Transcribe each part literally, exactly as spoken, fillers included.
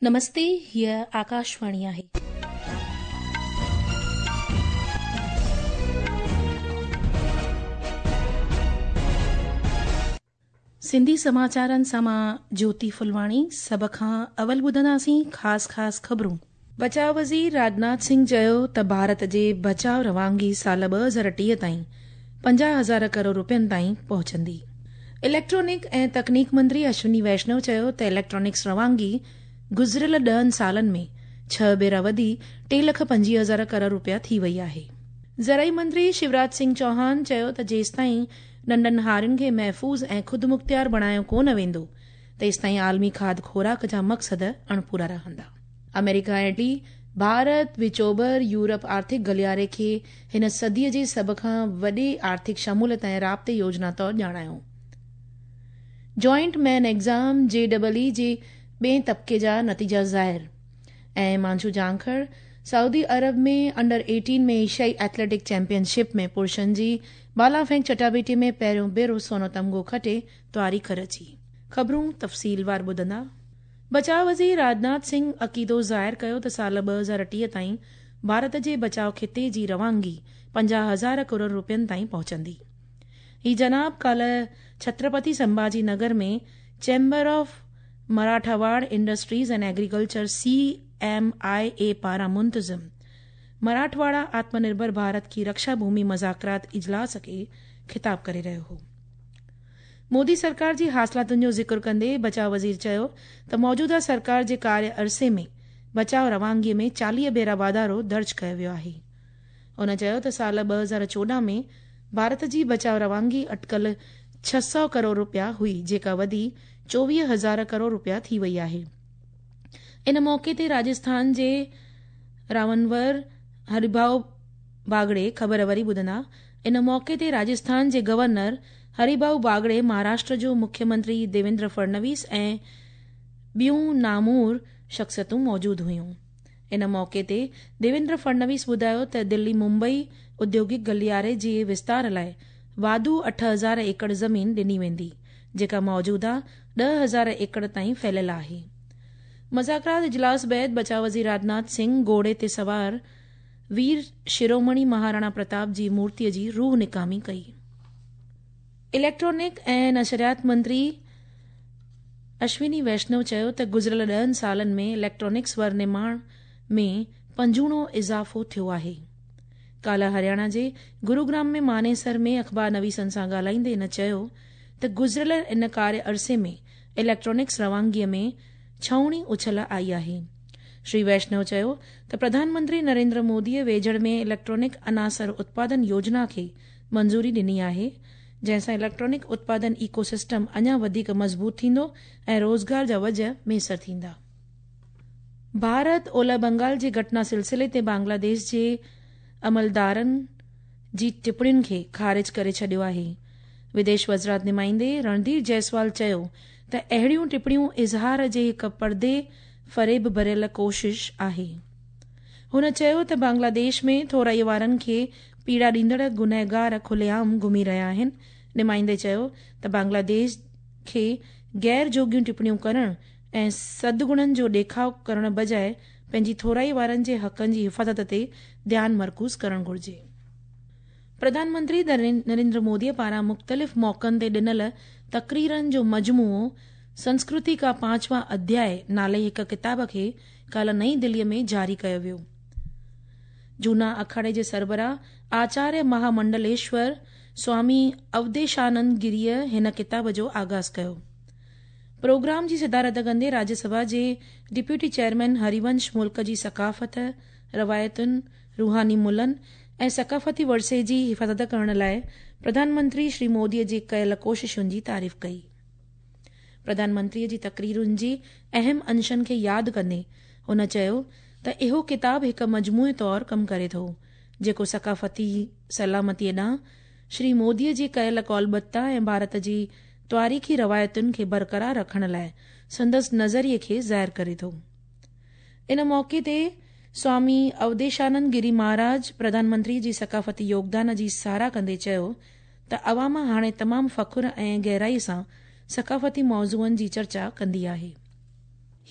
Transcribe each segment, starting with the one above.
نمستي، هيء آڪاشواڻي آهي. سنڌي سماچارن سان مان جيوتي ڦلواڻي. سڀ کان اول ٻڌنداسين خاص خاص خبرون. بچاء وزير راجناٿ سنگهه چيو ته ڀارت جي بچاء روانگي سال ٻه هزار ٽيهه تائين پنجاهه هزار ڪروڙ روپين تائين پهچندي. اليڪٽرانڪ ۽ تڪنيڪ منتري اشوني ويشنو چيو ته اليڪٽرانڪس روانگي گذريل ڏهن سالن ۾ ڇهه ڀيرا وڌي ٽي لک پنجويهه هزار ڪروڙ روپيا ٿي وئي آهي. زرعي منتري شيوراج سنگهه چوهان چيو ته جيستائين ننڍن هارين کي محفوظ ۽ خودمختيار بڻايو ڪونه ويندو، تيستائين عالمي کاڌ خوراڪ جا مقصد اڻپورا رهندا. آمريڪا ۽ اٽلي ڀارت وچوڀر يورپ آرٿڪ گلياري کي هن صديءَ جي سڀ کان وڏي آرٿڪ شموليت ۽ رابطي يوجنا طور ڄاڻايو. Joint main exam J double E جي ٻئي طبقي جا نتيجا ظاهر. ۽ مانڇو جانکڙ سعودي عرب ۾ انڊر ايٽين ۾ ايشيائي ايٿليٽڪ چيمپيئن شپ ۾ پرشن جي بالا ڦينڪ چٽاڀيٽي ۾ پهريون ڀيرو سونو تمغو کٽي تواريخ رچي. خبرون تفصيلوار ٻڌندا. بچاء وزير راجناٿ سنگهه عقيدو ظاهر ڪيو ته سال ٻه هزار ٽيهه تائين ڀارت جي بچاء خطي جي روانگي پنجاهه هزار ڪروڙ روپين تائين پهچندي. هي جناب ڪالهه ڇترپتي سنڀاجي نگر ۾ chamber of Marathwada industries and agriculture C M I A پاران منتظم مراٺواڙا آتم نرڀر ڀارت ڪي رڪشا ڀومي مذاڪرات اجلاس کي خطاب ڪري رهيو هو. مودي سرڪار جي حاصلاتن جو ذڪر ڪندي بچاء وزير چيو ته موجوده سرڪار جي ڪاريه عرصي ۾ بچاء روانگي ۾ چاليهه ڀيرا واڌارو درج ڪيو ويو آهي. هن چيو ته سال ٻه هزار چوڏهن ۾ ڀارت جي بچاء روانگي اٽڪل ڇهه سؤ ڪروڙ روپيا هئي، جيڪا وڌي چوويهه هزار ڪروڙ روپيا ٿي وئي آهي. ان موقعي تي راجسٿان جي راونور هريڀائو باگڙي خبر وري ٻڌندا. ان موقعي تي راجسٿان جي گورنر هريڀائو باگڙي، مهاراشٽر جو مکيه منتري ديويندر فڙنويس ۽ ٻيون نامور شخصيتون موجود هيون. ان موقعي تي ديويندر فڙنويس ٻڌايو ته دلي ممبئي اديوگڪ گلياري جي وستار لاءِ واڌو اٺ هزار ايڪڙ زمين ڏني ويندي، جيڪا موجوده ڏهه هزار ايڪڙ تائين ڦهليل آهي. مذاڪرات اجلاس بعد بچاء وزير راجناٿ سنگهه گهوڙي تي سوار وير شرومڻي مهاراڻا پرتاپ جي مورتيءَ جي روح نڪامي ڪئي. اليڪٽرانڪ ۽ نشريات منتري اشوني ويشنو چيو ته گذريل ڏهن سالن ۾ اليڪٽرانڪس ورنرماڻ ۾ پنجوڻو اضافو ٿيو آهي. ڪالهه هرياڻا جي گروگرام ۾ مانيسر ۾ اخبار نويسن سان ڳالهائيندي هن چيو ته گذريل ان ڪاريه عرصي ۾ اليڪٽرانڪس روانگيءَ ۾ ڇهوڻي اڇل آئي آهي. شري ويشنو چيو ته پرڌان منتري نريندر موديءَ ويجهڙ ۾ اليڪٽرانڪ عناصر اتپادن يوجنا کي منظوري ڏني آهي، جنهن سان اليڪٽرانڪ اتپادن ايڪو سسٽم اڃا وڌيڪ مضبوط ٿيندو ۽ روزگار جا وجهه ميسر ٿيندا. ڀارت اولهه بنگال جي گهٽنا سلسلي تي بنگلاديش جي عملدارن جي ٽپڻين کي خارج ڪري ڇڏيو آهي. وديش وزارت نمائندي رڻڌير جئسوال چيو ته اهڙيون ٽپڻيون اظهار جي هڪ پردي فريب ڀريل ڪوشش آهي. هن چيو ته بنگلاديش ۾ ٿورائي وارن کي پيڙا ڏيندڙ گنهگار کليعام گهمي رهيا آهن. نمائندي چيو ته بنگلاديش کي غير جوڳيون ٽپڻيون ڪرڻ ۽ سدگڻن جو ڏيکاءُ ڪرڻ بجاءِ پنهنجي ٿورائي وارن جي حقن جي حفاظت تي ڌيان مرڪوز ڪرڻ گهرجي. پرڌان منتري نريندر موديءَ پاران مختلف موقعن تي ڏنل تقريرن جو مجموعو سنسڪرتي ڪا پانچوان اڌياءِ نالي هڪ ڪتاب کي ڪالهه نئين دليءَ ۾ جاري ڪيو ويو. جهونا اکاڙي جي سربراهه آچاريه مهامنڊليشور سوامي اوڌيشانند گريءَ هن ڪتاب جو آغاز ڪيو. پروگرام جي صدارت ڪندي راجيه سڀا جي ڊپٽي چيئرمين هريونش ملڪ جي ثقافت، روايتن، روحاني ملن ۽ ثقافتي ورثي جي حفاظت ڪرڻ لاءِ پرڌان منتري شري موديءَ جي ڪيل ڪوششن جي تعريف ڪئي. پرڌان منتريءَ جي تقريرن جي اهم انشن کي ياد ڪندي هن چيو ته اهو ڪتاب هڪ مجموعي طور ڪم ڪري ٿو، جيڪو ثقافتي سلامتيءَ ڏانهن شري موديءَ جي ڪيل ڪولبتا ۽ ڀارت جي تواريخي روايتن کي برقرار رکڻ لاءِ سندس نظريي کي ظاهر ڪري ٿو. ان موقعي تي سوامي اوڌيشانند گري مهاراج پرڌان منتري جي ثقافتي يوگدان جي ساراهه ڪندي چيو ته عوام هاڻي تمام فخر ۽ گهرائي سان ثقافتي موضوعن جي چرچا ڪندي آهي.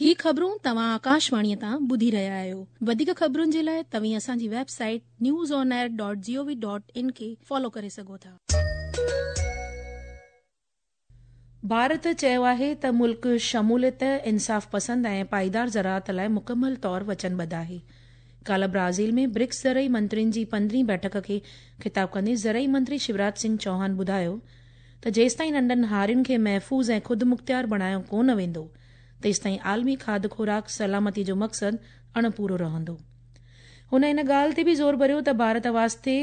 ही ख़बरूं तव्हां आकाशवाणीअ तां ॿुधी रहिया आहियो। वधीक ख़बरुनि जे लाइ तव्हीं असांजी website news on air dot G O V dot in खे फॉलो करे सघो था। भारत चयो आहे त मुल्क शमूलियत, इंसाफ़ पसंद ऐं पाईदार ज़राअत लाइ मुकमल तौर वचनबद्ध आहे। काल्ह ब्राज़ील में ब्रिक्स ज़रई मंत्रियुनि जी पंद्रहीं बैठक खे ख़िताब कंदे ज़रई मंत्री शिवराज सिंह चौहान ॿुधायो त जेसिताईं नंढनि हारियुनि खे महफ़ूज़ ऐं ख़ुदि मुख़्तियार बणायो कोन वेंदो तेसिताईं आलमी खाध खुराक सलामती जो मक़सदु अणपूरो रहंदो। हुन इन ॻाल्हि ते बि ज़ोर भरियो त भारत वास्ते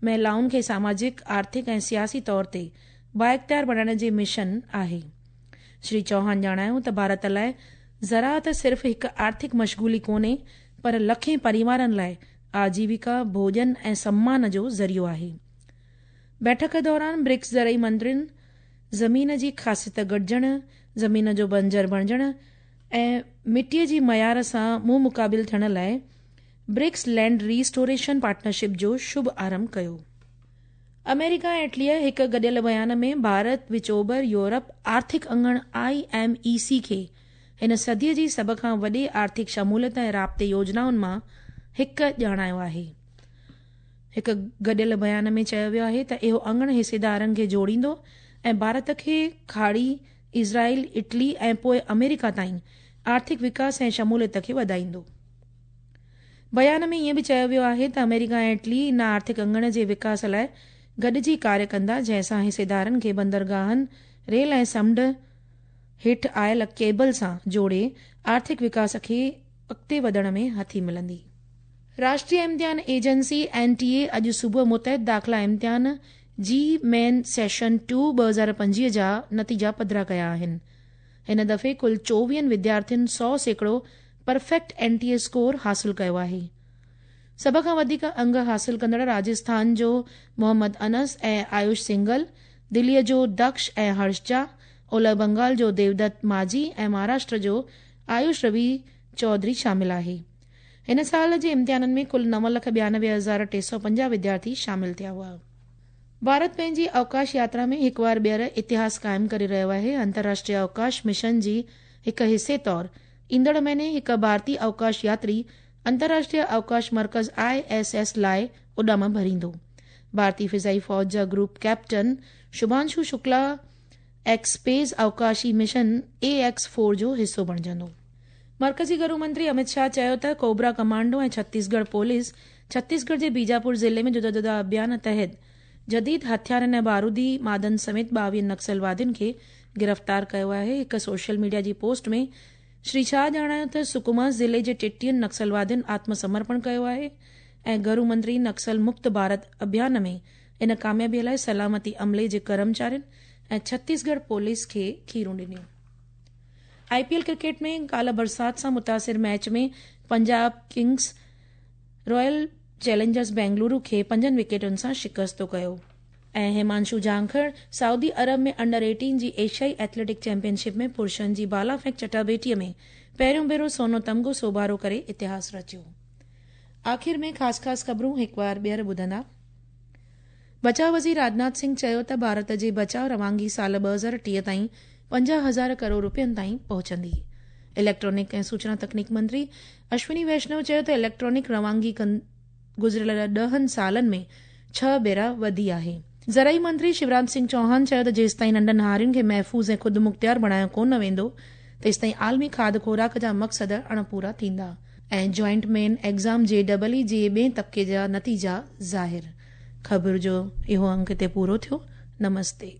महिलाउनि खे सामाजिक, आर्थिक ऐं सियासी तौर ते बाइख़्तियार बणाइण जे मिशन आहे। श्री चौहान ॼाणायो त भारत लाइ ज़राअत सिर्फ़ हिकु आर्थिक मशगूली कोन्हे पर लखें परिवारनि लाइ आजीविका, भोजन ऐं सम्मान जो ज़रियो आहे। बैठक दौरान ब्रिक्स ज़रई मंत्रियुनि ज़मीन जी ख़ासियत घटिजण, ज़मीन जो बंजर बणिजण ऐं मिटीअ जी मयार सां मुंहुं मुक़ाबिल थियण लाइ ब्रिक्स लैंड रीस्टोरेशन पार्टनरशिप जो शुभ आरंभ कयो। अमेरिका ऐं इटलीअ हिकु गॾियल बयान में भारत विच ओभर यूरोप आर्थिक अंगण I M E सी खे हिन सदीअ जी सभ खां वॾे आर्थिक शमूलियत ऐं राब्ते योजनाउनि मां हिकु ॼाणायो आहे। हिकु गॾियल बयान में चयो वियो आहे त इहो अंगण हिसेदारनि खे जोड़ींदो ऐं भारत खे खाड़ी, इज़राइल, इटली ऐं पोइ अमेरिका ताईं आर्थिक विकास ऐं शमूलियत खे वधाईंदो। बयान में ईअं बि चयो वियो आहे त अमेरिका ऐं इटली इन आर्थिक अंगण जे विकास लाइ गॾिजी कार्य कंदा, जंहिंसां हिसेदारनि खे बंदरगाहनि, रेल ऐं समुंड हेठि आयल केबल सां जोड़े आर्थिक विकास खे अॻिते वधण में हथी मिलंदी। राष्ट्रीय इम्तिहान एजेंसी एन टी ए अॼु सुबुह मुतहद दाख़िला इम्तिहान जी मेन सेशन टू ॿ हज़ार पंजवीह जा नतीजा पधरा कया आहिनि। हिन दफ़े कुल चोवीहनि विद्यार्थियुनि सौ सैकड़ो perfect N T A score हासिल कयो आहे। सभ खां वधीक अंग हासिल कंदड़ राजस्थान जो मोहम्मद अनस ऐं आयुष सिंघल, दिल्लीअ जो दक्ष ऐं हर्षजा, ओलह बंगाल जो देवदत्त माझी ऐं महाराष्ट्र जो आयुष रवि चौधरी शामिल आहे। हिन साल जे इम्तिहाननि में कुल नव लख ॿियानवे हज़ार टे सौ पंजाह विद्यार्थी शामिल थिया हुआ। भारत पंहिंजी अवकाश यात्रा में हिकु बार ॿीहर इतिहास क़ाइमु करे रहियो आहे। अंतर्राष्ट्रीय अवकाश मिशन जी हिकु हिसे तौर ईंदड़ महीने हिकु भारतीय अवकाश यात्री अंतर्राष्ट्रीय अवकाश मर्कज़ I S S लाइ उॾाम भरींदो। भारतीय फ़िज़ाई फ़ौज जा group captain Shubhanshu Shukla ExPace अवकाशी मिशन ए एक्स फोर जो हिसो बणिजंदो। मर्कज़ी गृह मंत्री अमित शाह चयो त कोबरा कमांडो ऐं छत्तीसगढ़ पुलिस छत्तीसगढ़ जे बीजापुर ज़िले में जुदा जुदा अभियान तहत जदीद हथियारनि ऐं बारूदी मादनि समेत ॿावीहनि नक्सलवादियुनि खे गिरफ़्तार कयो आहे। हिकु सोशल मीडिया जी पोस्ट में श्री शाह ॼाणायो त सुकुमा ज़िले जे टेटीहनि नक्सलवादियुनि आत्मसमर्पण कयो आहे ऐं गृह मंत्री नक्सल मुक्त भारत अभियान में इन कामयाबीअ लाइ सलामती अमले जे कर्मचारियुनि ऐं छत्तीसगढ़ पुलिस खे खीरूं ॾिनियूं। I P L cricket में काल्ह बरसाति सां मुतासिर match में Punjab Kings Royal Challengers Bengaluru खे पंजनि विकेटुनि सां शिकस्तो कयो। ऐं हिमांशु जांखड़ सऊदी अरब में अंडर एटीन जी एशियाई एथलेटिक चैंपियनशिप में पुरुषनि जी बाला फेंक चटाबेटीअ में पहिरियों भेरो सोनो तमगो सोभारो करे इतिहास रचियो। आख़िर में ख़ासि ख़ासि ख़बरूं हिकु बार ॿीहर ॿुधंदा। बचाव वज़ीर राजनाथ सिंह चयो त भारत जे बचाव रवानगी साल ॿ हज़ार टीह ताईं पंजाह हज़ार करोड़ रुपयनि ताईं पहुचंदी। इलेक्ट्रॉनिक ऐं सूचना तकनीक मंत्री अश्विनी वैष्णव चयो त इलेक्ट्रॉनिक रवानगी गुज़िरियल ॾहनि सालनि में छह भेरा वधी आहे। ज़रई मंत्री शिवराज सिंह चौहान चयो त जेसिताईं नंढनि हारियुनि खे महफ़ूज़ ऐं ख़ुदि मुख़्तियार बणायो कोन वेंदो तेसिताईं आलमी खाध खुराक जा मक़सद अणपूरा थींदा। ऐं joint main exam J double E जे ॿिए तबिके जा नतीजा ज़ाहिर। ख़बर जो इहो अंक हिते पूरो थियो। नमस्ते।